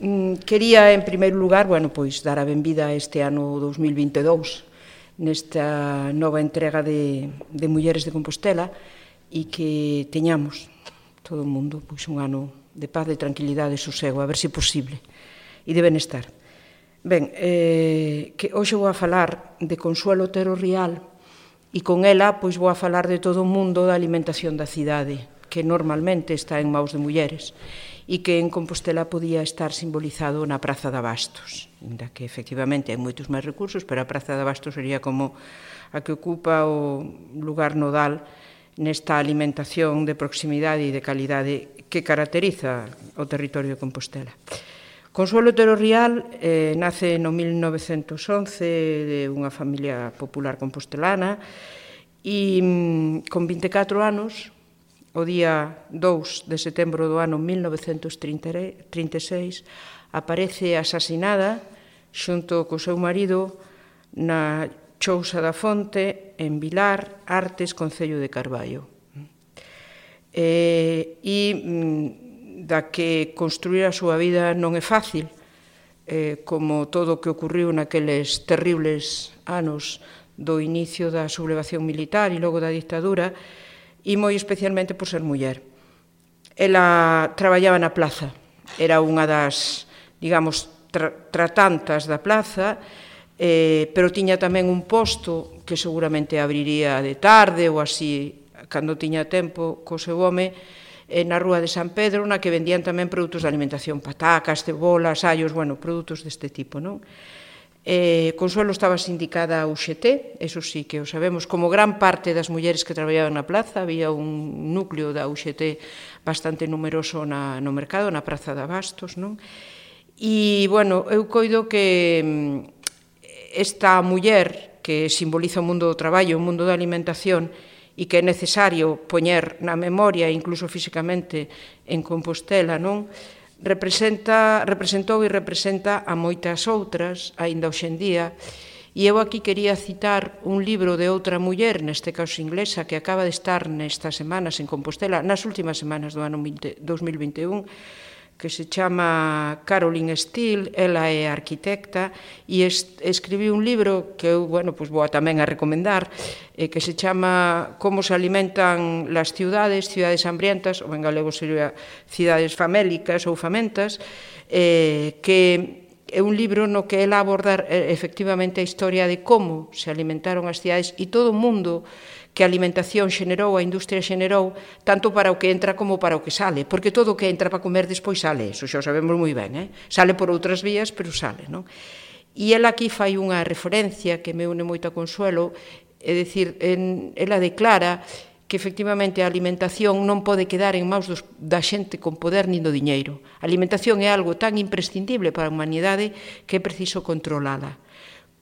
Quería, en primeiro lugar, pois, dar a benvida a este ano 2022 nesta nova entrega de Mulleres de Compostela e que teñamos todo o mundo pois, un ano de paz, de tranquilidade e sosego, a ver se posible, e de benestar. Ben, que hoxe vou a falar de Consuelo Otero Rial e con ela pois, vou a falar de todo o mundo da alimentación da cidade, que normalmente está en maus de mulleres e que en Compostela podía estar simbolizado na Praza de Abastos, ainda que efectivamente hai moitos máis recursos, pero a Praza de Abastos sería como a que ocupa o lugar nodal nesta alimentación de proximidade e de calidade que caracteriza o territorio de Compostela. Consuelo Otero Rial nace no 1911 de unha familia popular compostelana e con 24 anos, o día 2 de setembro do ano 1936, aparece asasinada xunto co seu marido na Chousa da Fonte, en Vilar, Artes, concello de Carballo. Da que construir a súa vida non é fácil, como todo o que ocurriu naqueles terribles anos do inicio da sublevación militar e logo da dictadura, e moi especialmente por ser muller. Ela traballaba na plaza, era unha das, digamos, tratantas da plaza, pero tiña tamén un posto que seguramente abriría de tarde ou así, cando tiña tempo, co seu home, na rúa de San Pedro, na que vendían tamén produtos de alimentación, patacas, cebolas, allos, produtos deste tipo, non? Consuelo estaba sindicada a UGT, eso sí que o sabemos, como gran parte das mulleres que traballaban na plaza, había un núcleo da UGT bastante numeroso no mercado, na Praza de Abastos, non? E, eu coido que esta muller que simboliza o mundo do traballo, o mundo da alimentación, e que é necesario poñer na memoria, incluso físicamente, en Compostela, non? Representou e representa a moitas outras, aínda hoxendía, e eu aquí quería citar un libro de outra muller, neste caso inglesa, que acaba de estar nestas semanas en Compostela, nas últimas semanas do ano 2021, que se chama Caroline Steele, ela é arquitecta, e escribiu un libro que eu, vou tamén a recomendar, que se chama Como se alimentan las ciudades hambrientas, ou en galego sería Cidades famélicas ou famentas, que é un libro no que ela abordar efectivamente a historia de como se alimentaron as cidades e todo o mundo que a alimentación xenerou, a industria xenerou, tanto para o que entra como para o que sale, porque todo o que entra para comer despois sale, eso xa o sabemos moi ben, sale por outras vías, pero sale, non? E ela aquí fai unha referencia que me une moito a Consuelo, é dicir, ela declara que efectivamente a alimentación non pode quedar en maus da xente con poder nin do diñeiro. A alimentación é algo tan imprescindible para a humanidade que é preciso controlala.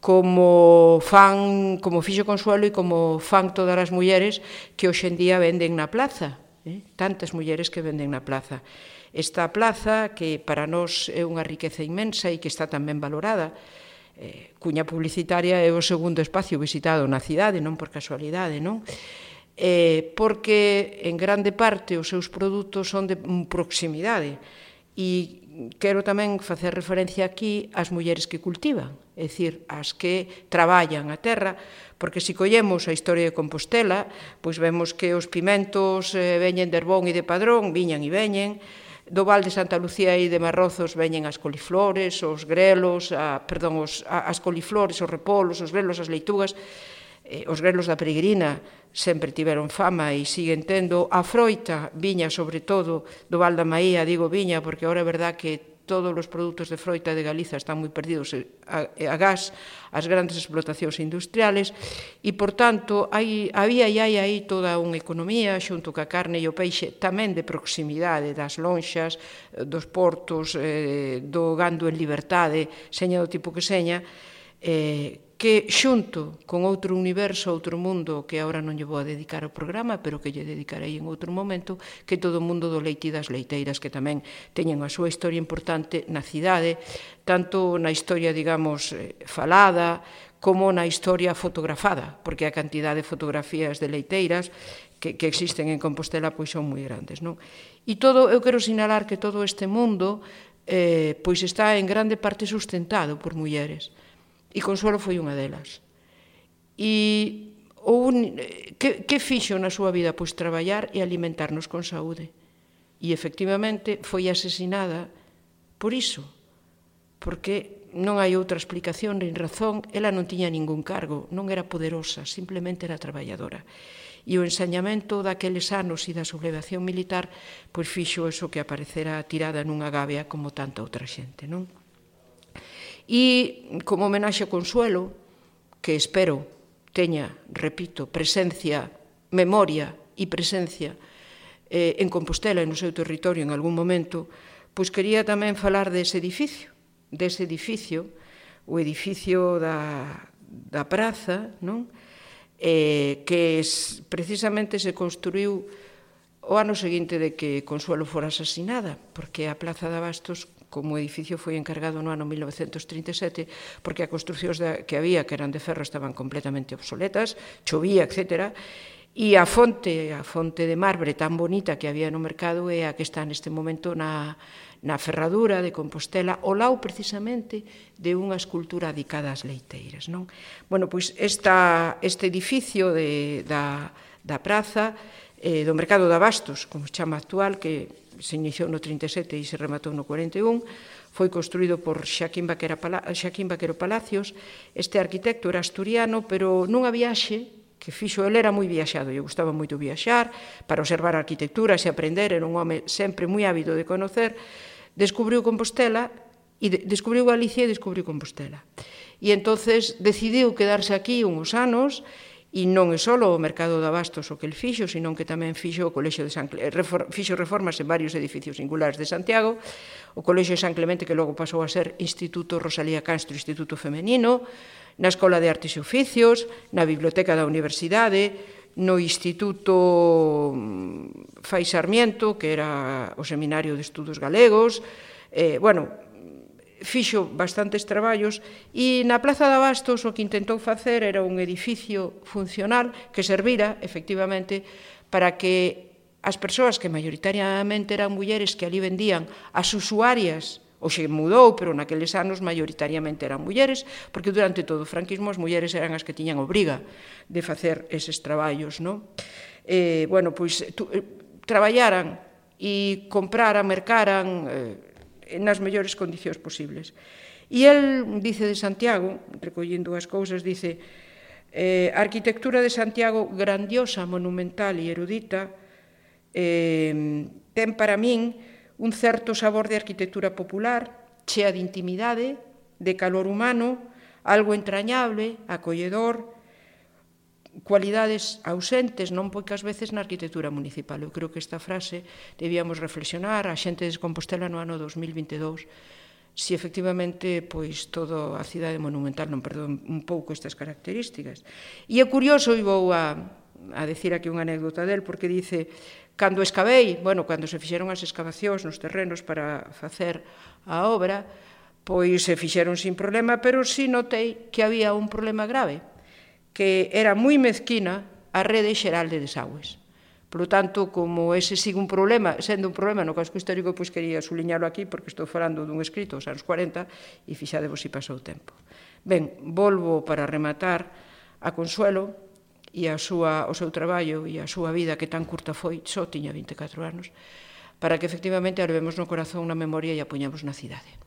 Como fixo Consuelo e como fan todas as mulleres que hoxendía venden na plaza, tantas mulleres que venden na plaza. Esta plaza, que para nós é unha riqueza inmensa e que está tamén valorada, cuña publicitaria é o segundo espacio visitado na cidade, non por casualidade, non? Porque en grande parte os seus produtos son de proximidade e quero tamén facer referencia aquí ás mulleres que cultivan, é dicir, as que traballan a terra, porque se collemos a historia de Compostela, pois vemos que os pimentos veñen de Herbón e de Padrón, viñan e veñen, do Val de Santa Lucía e de Marrozos veñen as coliflores, os grelos, as coliflores, os repolos, os grelos, as leitugas, os grelos da peregrina sempre tiveron fama e siguen tendo. A froita viña, sobre todo, do Val da Maía, digo viña, porque agora é verdad que todos os produtos de froita de Galiza están moi perdidos a gas, as grandes explotacións industriales, e, por tanto, había e hai aí toda unha economía, xunto ca carne e o peixe, tamén de proximidade das lonxas, dos portos, do gando en liberdade, seña do tipo que seña, que xunto con outro universo, outro mundo, que agora non lle vou a dedicar ao programa, pero que lle dedicarei en outro momento, que todo o mundo do leite e das leiteiras, que tamén teñen a súa historia importante na cidade, tanto na historia, digamos, falada, como na historia fotografada, porque a cantidad de fotografías de leiteiras que existen en Compostela pois son moi grandes, non? E eu quero sinalar que todo este mundo pois está en grande parte sustentado por mulleres. E Consuelo foi unha delas. E que fixo na súa vida? Pois traballar e alimentarnos con saúde. E efectivamente foi asesinada por iso, porque non hai outra explicación nin razón. Ela non tiña ningún cargo, non era poderosa, simplemente era traballadora. E o ensañamento daqueles anos e da sublevación militar pois fixo eso que aparecera tirada nunha gavia como tanta outra xente, non? E como homenaxe a Consuelo, que espero teña, repito, presencia, memoria e presencia en Compostela e no seu territorio en algún momento, pois quería tamén falar dese edificio, o edificio da praza, non? Que precisamente se construiu o ano seguinte de que Consuelo fora asesinada, porque a Plaza de Abastos como edificio foi encargado no ano 1937, porque as construcións que había, que eran de ferro, estaban completamente obsoletas, chovía, etc. E a fonte de marbre tan bonita que había no mercado é a que está neste momento na ferradura de Compostela, ao lado precisamente de unha escultura dedicada ás leiteiras, non? Bueno, pois este edificio da praza, do mercado de Abastos, como se chama actual, que se iniciou no 37 e se rematou no 41, foi construído por Xaquín Vaquero Palacios. Este arquitecto era asturiano, pero nunha viaxe que fixo, ele era moi viaxado, lle gustaba moito viaxar para observar a arquitectura e aprender, era un home sempre moi ávido de conocer, descubriu Compostela, descubriu Galicia e descubriu Compostela. E entonces decidiu quedarse aquí uns anos. E non é só o mercado de Abastos o que el fixo, senón que tamén fixo o Colexio de San Clemente, fixo reformas en varios edificios singulares de Santiago, o Colexio de San Clemente, que logo pasou a ser Instituto Rosalía Castro, Instituto Femenino, na Escola de Artes e Oficios, na Biblioteca da Universidade, no Instituto Fai Sarmiento, que era o Seminario de Estudos Galegos, fixo bastantes traballos, e na Plaza de Abastos o que intentou facer era un edificio funcional que servira, efectivamente, para que as persoas que maioritariamente eran mulleres que ali vendían, as usuarias, hoxe mudou, pero naqueles anos maioritariamente eran mulleres, porque durante todo o franquismo as mulleres eran as que tiñan obriga de facer eses traballos, non? Pois traballaran e compraran, mercaran nas mellores condicións posibles. E el dice de Santiago, recollendo as cousas, dice: a arquitectura de Santiago, grandiosa, monumental e erudita, ten para min un certo sabor de arquitectura popular, chea de intimidade, de calor humano, algo entrañable, acolledor, cualidades ausentes non poucas veces na arquitectura municipal. Eu creo que esta frase debíamos reflexionar a xente de Compostela no ano 2022, se efectivamente pois toda a cidade monumental non perdeu un pouco estas características. E é curioso, e vou a decir aquí unha anécdota del, porque dice: cando escavei, cando se fixeron as excavacións nos terrenos para facer a obra, pois se fixeron sin problema, pero si notei que había un problema grave, que era moi mezquina a rede xeral de desagües. Por lo tanto, como ese sigue un problema, sendo un problema no casco histórico, pois quería suliñalo aquí, porque estou falando dun escrito aos anos 40, e fixadevos se pasou o tempo. Ben, volvo para rematar a Consuelo e o seu traballo e a súa vida, que tan curta foi, só tiña 24 anos, para que efectivamente a levemos no corazón, na memoria e a poñamos na cidade.